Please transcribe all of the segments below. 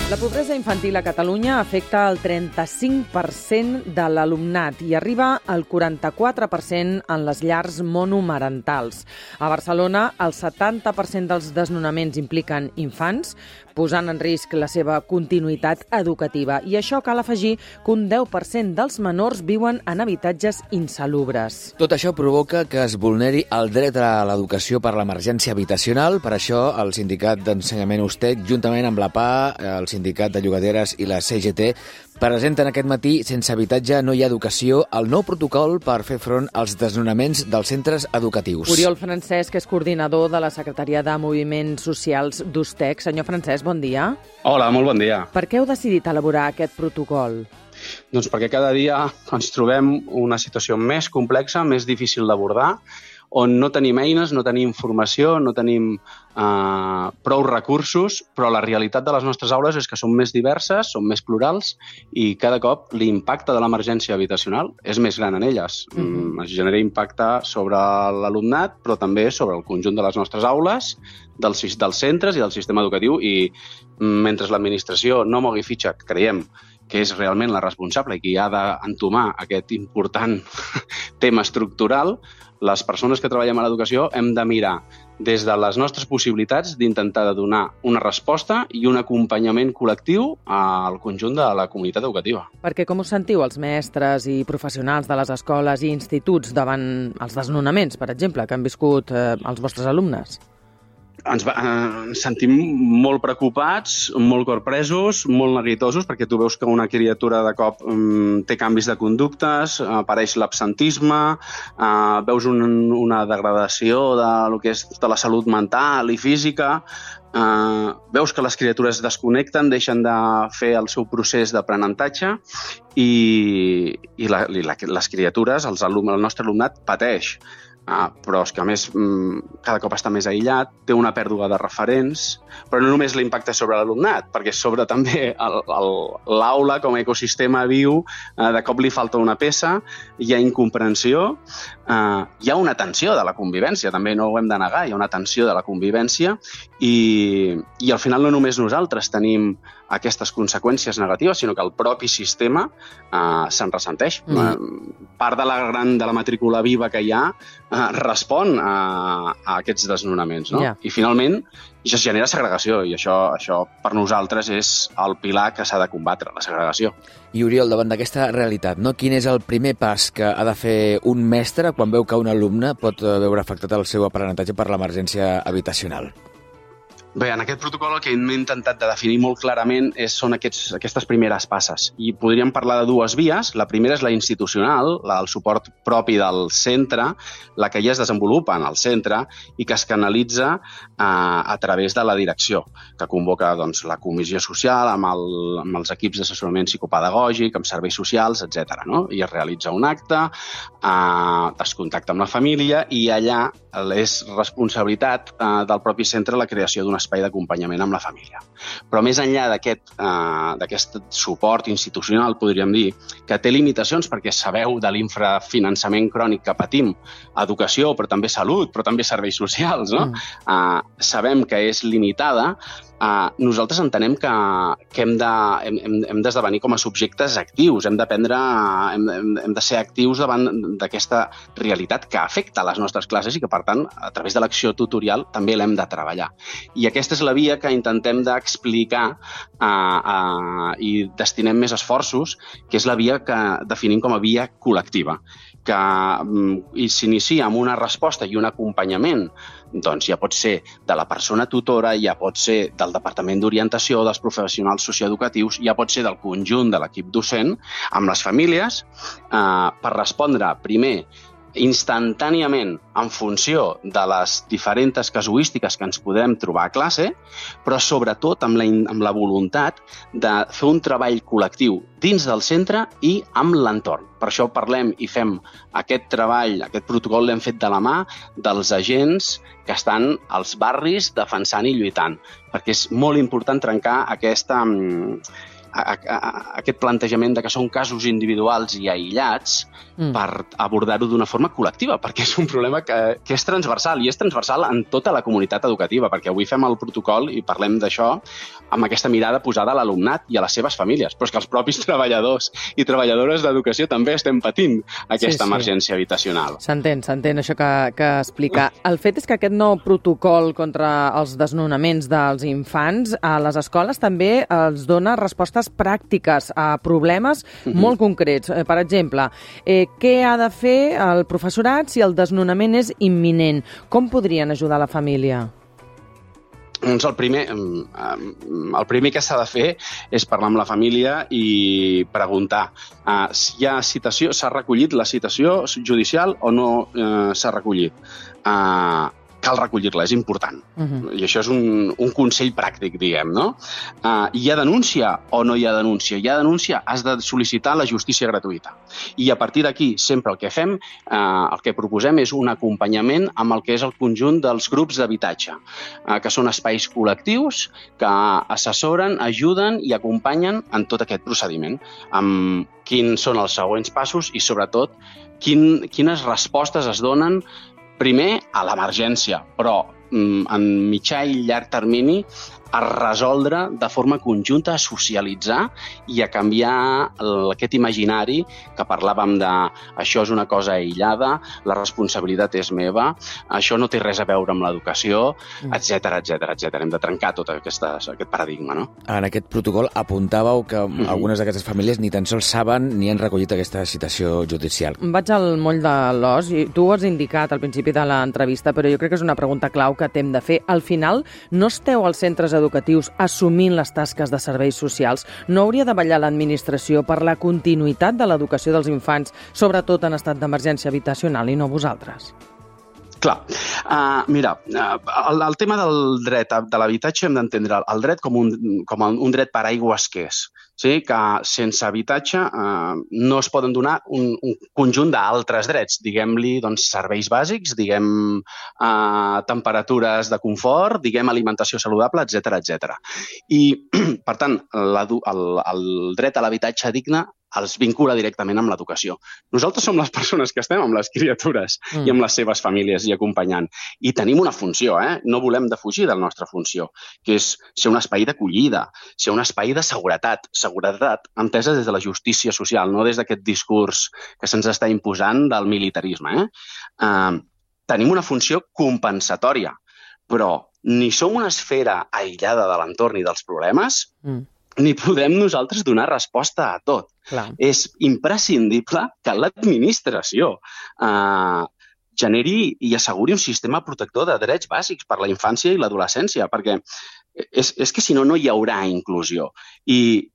La pobresa infantil a Catalunya afecta el 35% de l'alumnat i arriba al 44% en les llars monomarentals. A Barcelona, el 70% dels desnonaments impliquen infants, posant en risc la seva continuïtat educativa. I això cal afegir que un 10% dels menors viuen en habitatges insalubres. Tot això provoca que es vulneri el dret a l'educació per l'emergència habitacional. Per això, el Sindicat d'Ensenyament Ustec, juntament amb la PA, el Sindicat de Llogateres i la CGT, presenten aquest matí Sense habitatge no hi ha educació, el nou protocol per fer front als desnonaments dels centres educatius. Oriol Francesc és coordinador de la Secretaria de Moviments Socials d'Ustec. Senyor Francesc, bon dia. Hola, molt bon dia. Per què heu decidit elaborar aquest protocol? Doncs perquè cada dia ens trobem una situació més complexa, més difícil d'abordar, on no tenim eines, no tenim informació, no tenim prou recursos, però la realitat de les nostres aules és que són més diverses, són més plurals i cada cop l'impacte de l'emergència habitacional és més gran en elles. Es genera impacte sobre l'alumnat, però també sobre el conjunt de les nostres aules, dels centres i del sistema educatiu, i mentre l'administració no mogui fitxa, que creiem que és realment la responsable i qui ha d'entomar aquest important tema estructural, les persones que treballem a l'educació hem de mirar des de les nostres possibilitats d'intentar donar una resposta i un acompanyament col·lectiu al conjunt de la comunitat educativa. Perquè com us sentiu els mestres i professionals de les escoles i instituts davant els desnonaments, per exemple, que han viscut els vostres alumnes? Ens sentim molt preocupats, molt corpresos, molt neguitosos, perquè tu veus que una criatura de cop té canvis de conductes, apareix l'absentisme, veus una degradació de la salut mental i física, veus que les criatures es desconnecten, deixen de fer el seu procés d'aprenentatge i les criatures, el nostre alumnat, pateix. Però és que, a més, cada cop està més aïllat, té una pèrdua de referents, però no només l'impacte sobre l'alumnat, perquè sobre també l'aula com a ecosistema viu, de cop li falta una peça, hi ha incomprensió, hi ha una tensió de la convivència, també no ho hem de negar, hi ha una tensió de la convivència i al final no només nosaltres tenim aquestes conseqüències negatives, sinó que el propi sistema se'n ressenteix. Part de la matrícula viva que hi ha respon a aquests desnonaments, no? I finalment això es genera segregació i això per nosaltres és el pilar que s'ha de combatre, la segregació. I Oriol, davant d'aquesta realitat, quin és el primer pas que ha de fer un mestre quan veu que un alumne pot veure afectat el seu aprenentatge per l'emergència habitacional? Bé, en aquest protocol el que hem intentat de definir molt clarament són aquestes primeres passes. I podríem parlar de dues vies. La primera és la institucional, el suport propi del centre, la que ja es desenvolupa en el centre i que es canalitza a través de la direcció, que convoca la comissió social amb els equips d'assessorament psicopedagògic, amb serveis socials, etc. I es realitza un acte, es contacta amb la família i allà és responsabilitat del propi centre la creació d'un espai d'acompanyament amb la família. Però més enllà d'aquest suport institucional, podríem dir, que té limitacions perquè sabeu de l'infrafinançament crònic que patim, educació, però també salut, però també serveis socials, no? Sabem que és limitada. Nosaltres entenem que hem d'esdevenir com a subjectes actius, hem de ser actius davant d'aquesta realitat que afecta les nostres classes i que, per tant, a través de l'acció tutorial també l'hem de treballar. I aquesta és la via que intentem d'explicar i destinem més esforços, que és la via que definim com a via col·lectiva, que s'inicia amb una resposta i un acompanyament, doncs ja pot ser de la persona tutora, ja pot ser del Departament d'Orientació, dels professionals socioeducatius, ja pot ser del conjunt de l'equip docent, amb les famílies, per respondre primer instantàniament en funció de les diferents casuístiques que ens podem trobar a classe, però sobretot amb la voluntat de fer un treball col·lectiu dins del centre i amb l'entorn. Per això parlem i fem aquest treball, aquest protocol l'hem fet de la mà dels agents que estan als barris defensant i lluitant, perquè és molt important trencar aquest plantejament de que són casos individuals i aïllats per abordar-ho d'una forma col·lectiva, perquè és un problema que és transversal, i és transversal en tota la comunitat educativa, perquè avui fem el protocol i parlem d'això amb aquesta mirada posada a l'alumnat i a les seves famílies, però és que els propis treballadors i treballadores d'educació també estem patint aquesta emergència habitacional. S'entén això que explica. El fet és que aquest nou protocol contra els desnonaments dels infants a les escoles també els dona respostes pràctiques a problemes molt concrets. Per exemple, què ha de fer el professorat si el desnonament és imminent? Com podrien ajudar la família? Doncs el primer que s'ha de fer és parlar amb la família i preguntar si hi ha citació, s'ha recollit la citació judicial o no s'ha recollit. Cal recollir-la, és important. I això és un consell pràctic, diguem, no? Hi ha denúncia o no hi ha denúncia? Hi ha denúncia, has de sol·licitar la justícia gratuïta. I a partir d'aquí, sempre el que fem, el que proposem és un acompanyament amb el que és el conjunt dels grups d'habitatge, que són espais col·lectius que assessoren, ajuden i acompanyen en tot aquest procediment, amb quins són els següents passos i, sobretot, quines respostes es donen primer a l'emergència, però en mitjà i llarg termini a resoldre de forma conjunta, a socialitzar i a canviar aquest imaginari que parlàvem de això és una cosa aïllada, la responsabilitat és meva, això no té res a veure amb l'educació, etc. Hem de trencar tot aquest paradigma, no? En aquest protocol apuntàveu que algunes d'aquestes famílies ni tan sols saben ni han recollit aquesta citació judicial. Vaig al moll de l'os, i tu ho has indicat al principi de l'entrevista, però jo crec que és una pregunta clau que t'hem de fer. Al final, no esteu als centres educatius assumint les tasques de serveis socials? No hauria de vetllar l'administració per la continuïtat de l'educació dels infants, sobretot en estat d'emergència habitacional, i no vosaltres? Clar, mira, el tema del dret de l'habitatge hem d'entendre el dret com un dret paraigües que és. Sí, que sense habitatge no es poden donar un conjunt d'altres drets, diguem-li serveis bàsics, diguem temperatures de confort, diguem alimentació saludable, etc. I, per tant, el dret a l'habitatge digne els vincula directament amb l'educació. Nosaltres som les persones que estem amb les criatures i amb les seves famílies i acompanyant. I tenim una funció, no volem defugir de la nostra funció, que és ser un espai d'acollida, ser un espai de seguretat entesa des de la justícia social, no des d'aquest discurs que se'ns està imposant del militarisme. Tenim una funció compensatòria, però ni som una esfera aïllada de l'entorn i dels problemes, ni podem nosaltres donar resposta a tot. Clar. És imprescindible que l'administració generi i asseguri un sistema protector de drets bàsics per la infància i l'adolescència, perquè és que si no, no hi haurà inclusió. I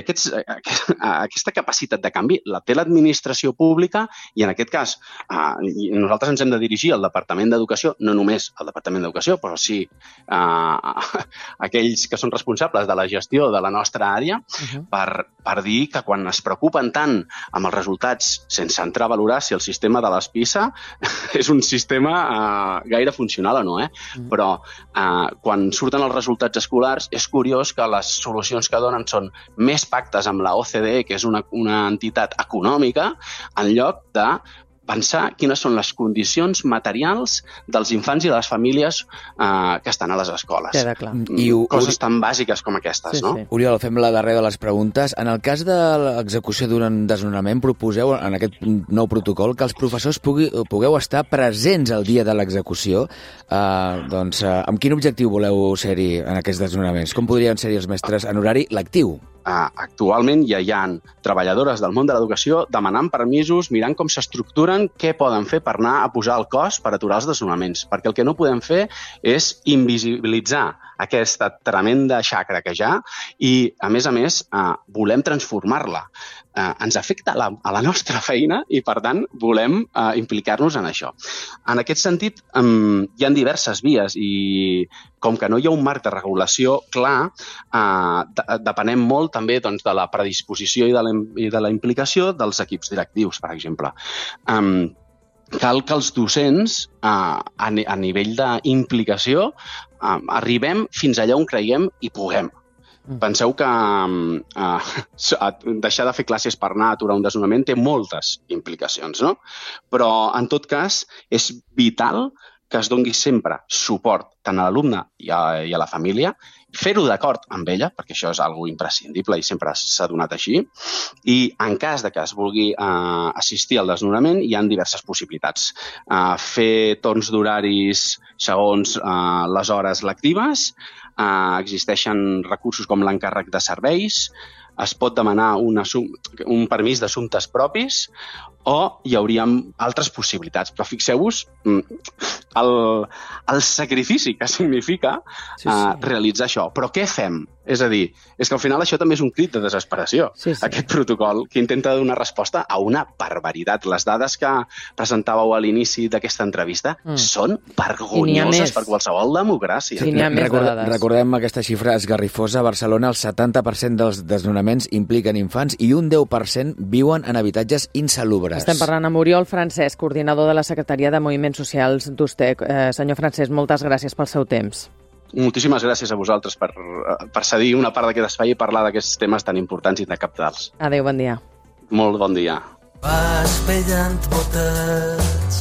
aquesta capacitat de canvi la té l'administració pública i, en aquest cas, nosaltres ens hem de dirigir al Departament d'Educació, no només al Departament d'Educació, però sí aquells que són responsables de la gestió de la nostra àrea, per dir que quan es preocupen tant amb els resultats sense entrar a valorar si el sistema de les PISA és un sistema gaire funcional o no, però quan surten els resultats escolars és curiós que les solucions que donen són més pactes amb la OCDE, que és una entitat econòmica, en lloc de pensar quines són les condicions materials dels infants i de les famílies que estan a les escoles. Queda clar. Coses tan bàsiques com aquestes, no? Oriol, fem la darrera de les preguntes. En el cas de l'execució d'un desnonament, proposeu en aquest nou protocol que els professors pugueu estar presents el dia de l'execució. Amb quin objectiu voleu ser-hi en aquests desnonaments? Com podrien ser-hi els mestres en horari lectiu? Actualment ja hi ha treballadores del món de l'educació demanant permisos, mirant com s'estructuren, què poden fer per anar a posar el cos per aturar els desnonaments. Perquè el que no podem fer és invisibilitzar aquesta tremenda xacra que hi ha i, a més, volem transformar-la. Ens afecta a la nostra feina i, per tant, volem implicar-nos en això. En aquest sentit, hi ha diverses vies i, com que no hi ha un marc de regulació clar, depenem molt també de la predisposició i de la implicació dels equips directius, per exemple. Cal que els docents, a nivell d'implicació, arribem fins allà on creiem i puguem. Penseu que deixar de fer classes per anar a aturar un desnonament té moltes implicacions, no? Però, en tot cas, és vital que es doni sempre suport tant a l'alumne i a la família, fer-ho d'acord amb ella, perquè això és algo imprescindible i sempre s'ha donat així, i en cas de que es vulgui assistir al desnonament hi ha diverses possibilitats. Fer torns d'horaris segons les hores lectives, existeixen recursos com l'encàrrec de serveis, es pot demanar un permís d'assumptes propis o hi hauria altres possibilitats. Però fixeu-vos el sacrifici que significa realitzar això. Però què fem? És a dir, és que al final això també és un crit de desesperació, aquest protocol, que intenta donar resposta a una barbaritat. Les dades que presentàveu a l'inici d'aquesta entrevista són vergonyoses per qualsevol democràcia. Sí, n'hi ha més dades. Recordem aquesta xifra esgarrifosa. A Barcelona el 70% dels desnonaments impliquen infants i un 10% viuen en habitatges insalubres. Estem parlant amb Oriol Francesc, coordinador de la Secretaria de Moviments Socials d'USTEC. Senyor Francesc, moltes gràcies pel seu temps. Moltíssimes gràcies a vosaltres per cedir una part d'aquest espai i parlar d'aquests temes tan importants i de cabdals. Adéu, bon dia. Molt bon dia. Vas pellant botets,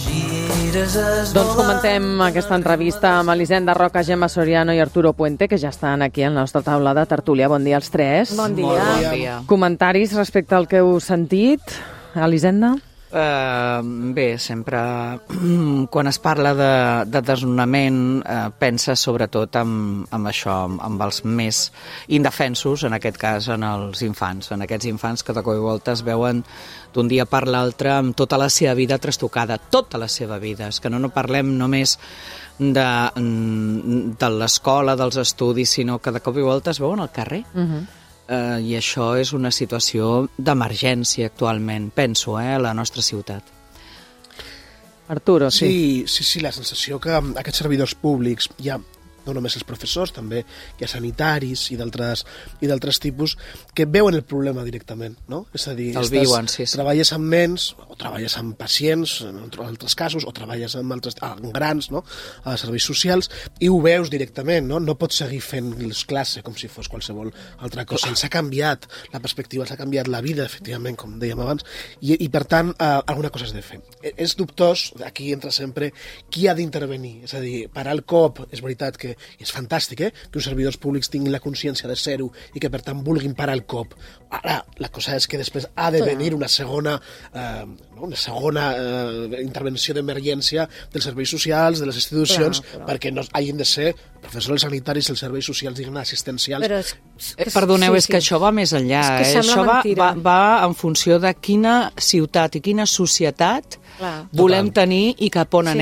gires Doncs comentem aquesta entrevista amb Elisenda Roca, Gemma Soriano i Arturo Puente, que ja estan aquí a la nostra taula de tertúlia. Bon dia als tres. Bon dia. Bon dia. Comentaris respecte al que heu sentit, Elisenda? Bé, sempre quan es parla de desnonament pensa sobretot amb això, amb els més indefensos, en aquest cas en els infants, en aquests infants que de cop i volta es veuen d'un dia per l'altre amb tota la seva vida trastocada, tota la seva vida. És que no parlem només de l'escola, dels estudis, sinó que de cop i volta es veuen al carrer. I això és una situació d'emergència actualment, penso, a la nostra ciutat. Arturo, sí, la sensació que aquests servidors públics, ja no només els professors, també hi ha sanitaris i d'altres tipus, que veuen el problema directament, no? És a dir, treballes amb nens, o treballes amb pacients, en altres casos, o treballes amb grans, no?, a serveis socials, i ho veus directament, no? No pots seguir fent les classes com si fos qualsevol altra cosa. S'ha canviat la perspectiva, s'ha canviat la vida, efectivament, com dèiem abans, i per tant, alguna cosa has de fer. És dubtós, aquí entra sempre qui ha d'intervenir, és a dir, parar el cop, és veritat que és fantàstic, que uns servidors públics tinguin la consciència de ser-ho i que per tant vulguin parar el cop. Ara, la cosa és que després ha de venir una segona intervenció d'emergència dels serveis socials, de les institucions, perquè no hagin de ser professors sanitaris, els serveis socials, diguem, assistencials. Perdoneu, és que això va més enllà. Això va en funció de quina ciutat i quina societat volem tenir i cap on anem.